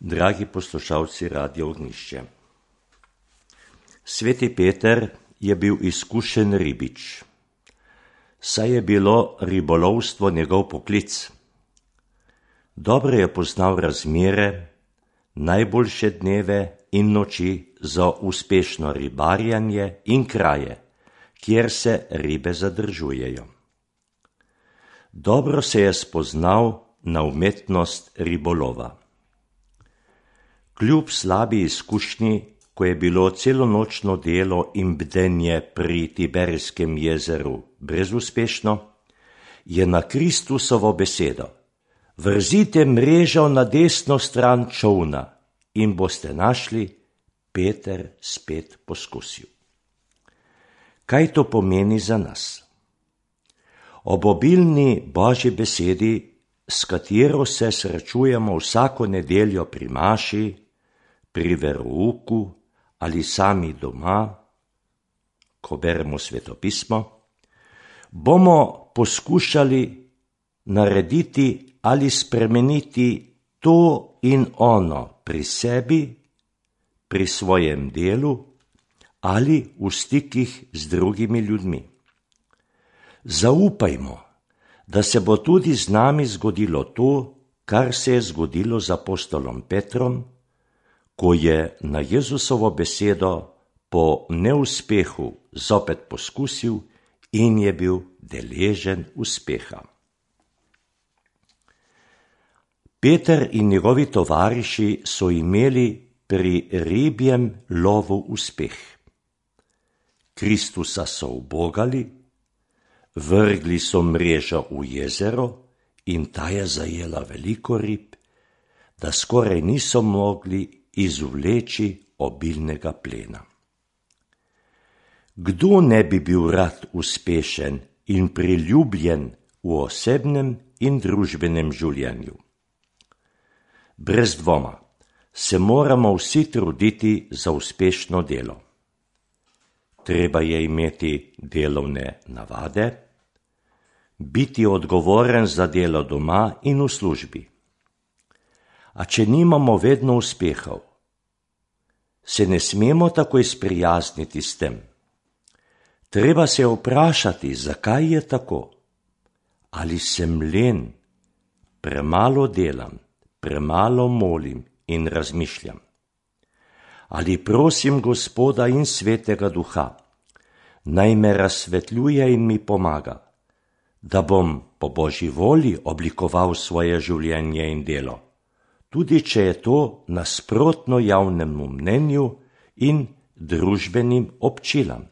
Dragi poslušalci Radia Ognjišče. Sveti Peter je bil izkušen ribič, saj je bilo ribolovstvo njegov poklic. Dobro je poznal razmere, najboljše dneve in noči za uspešno ribarjanje in kraje, kjer se ribe zadržujejo. Dobro se je spoznal na umetnost ribolova. Kljub slabi izkušnji, ko je bilo celonočno delo in bdenje pri Tiberijskem jezeru brezuspešno, je na Kristusovo besedo: "Vrzite mrežo na desno stran čolna in boste našli," Peter spet poskusil. Kaj to pomeni za nas? Ob obilni Božji besedi, s katero se srečujemo vsako nedeljo pri maši, pri verouku ali sami doma, ko beremo svetopismo, bomo poskušali narediti ali spremeniti to in ono pri sebi, pri svojem delu ali v stikih z drugimi ljudmi. Zaupajmo, da se bo tudi z nami zgodilo to, kar se je zgodilo z apostolom Petrom, ko je na Jezusovo besedo po neuspehu zopet poskusil in je bil deležen uspeha. Peter in njegovi tovariši so imeli pri ribjem lovu uspeh. Kristusa so ubogali, vrgli so mrežo v jezero in ta je zajela veliko rib, da skoraj niso mogli izvleči obilnega plena. Kdo ne bi bil rad uspešen in priljubljen v osebnem in družbenem življenju? Brez dvoma se moramo vsi truditi za uspešno delo. Treba je imeti delovne navade, biti odgovoren za delo doma in v službi. A če nimamo vedno uspehov, se ne smemo takoj sprijazniti s tem. Treba se vprašati, zakaj je tako. Ali sem len, premalo delam, premalo molim in razmišljam. Ali prosim Gospoda in Svetega Duha, naj me razsvetljuje in mi pomaga, da bom po Božji volji oblikoval svoje življenje in delo, tudi če je to nasprotno javnemu mnenju in družbenim občilam.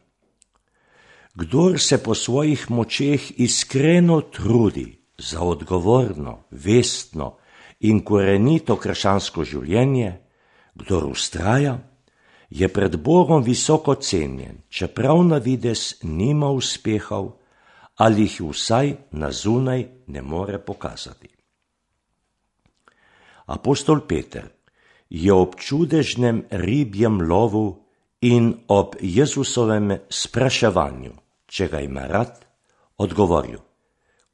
Kdor se po svojih močeh iskreno trudi za odgovorno, vestno in korenito krščansko življenje, kdor vztraja, je pred Bogom visoko cenjen, čeprav na videz nima uspehov ali jih vsaj na zunaj ne more pokazati. Apostol Peter je ob čudežnem ribjem lovu in ob Jezusovem spraševanju, če ga ima rad, odgovoril: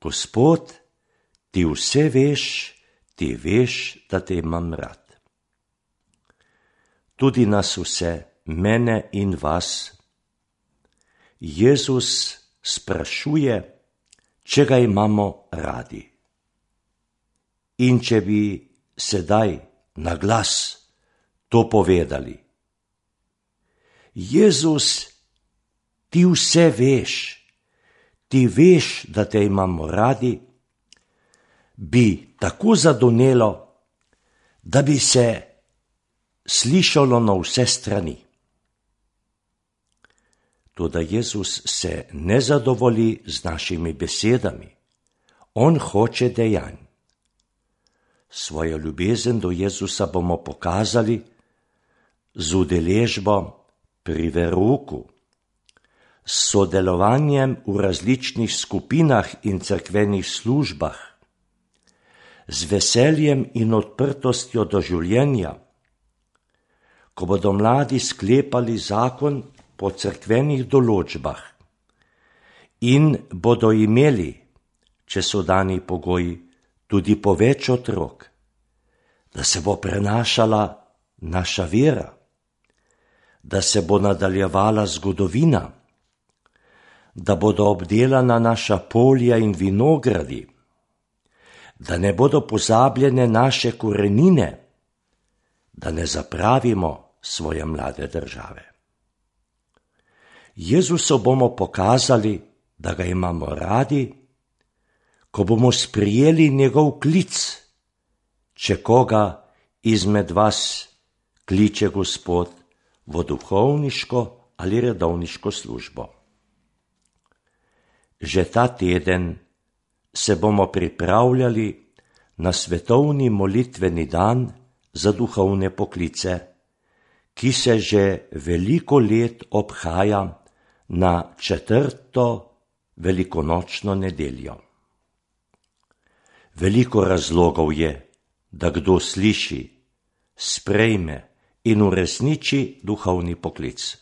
"Gospod, ti vse veš, ti veš, da te imam rad." Tudi nas vse, mene in vas, Jezus sprašuje, če ga imamo radi. In če bi sedaj na glas to povedali: "Jezus, ti vse veš, ti veš, da te imamo radi," bi tako zadonelo, da bi se slišalo na vse strani. Toda Jezus se ne zadovolji z našimi besedami. On hoče dejanj. Svojo ljubezen do Jezusa bomo pokazali z udeležbo pri verouku, s sodelovanjem v različnih skupinah in cerkvenih službah, z veseljem in odprtostjo do življenja, ko bodo mladi sklepali zakon po cerkvenih določbah in bodo imeli, če so dani pogoji, tudi po več otrok, da se bo prenašala naša vera, da se bo nadaljevala zgodovina, da bodo obdelana naša polja in vinogradi, da ne bodo pozabljene naše korenine, da ne zapravimo svoje mlade države. Jezusu bomo pokazali, da ga imamo radi, ko bomo sprijeli njegov klic, če koga izmed vas kliče Gospod v duhovniško ali redovniško službo. Že ta teden se bomo pripravljali na svetovni molitveni dan za duhovne poklice, ki se že veliko let obhaja na 4. velikonočno nedeljo. Veliko razlogov je, da kdo sliši, sprejme in uresniči duhovni poklic.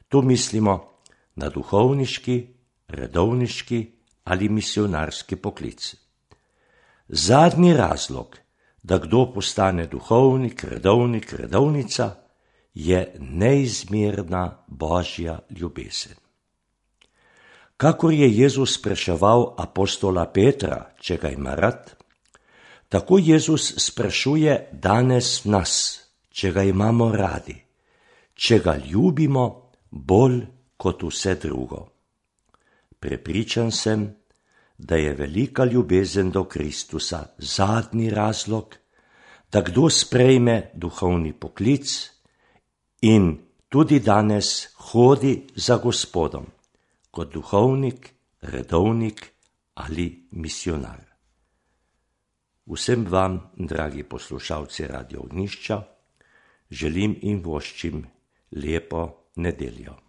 Tu mislimo na duhovniški, redovniški ali misionarski poklic. Zadnji razlog, da kdo postane duhovnik, redovnik, redovnica, je neizmerna Božja ljubezen. Kakor je Jezus spraševal apostola Petra, če ga ima rad, tako Jezus sprašuje danes nas, če ga imamo radi, če ga ljubimo bolj kot vse drugo. Prepričan sem, da je velika ljubezen do Kristusa zadnji razlog, da kdo sprejme duhovni poklic in tudi danes hodi za Gospodom kot duhovnik, redovnik ali misionar. Vsem vam, dragi poslušalci Radio Ognjišča, želim in voščim lepo nedeljo.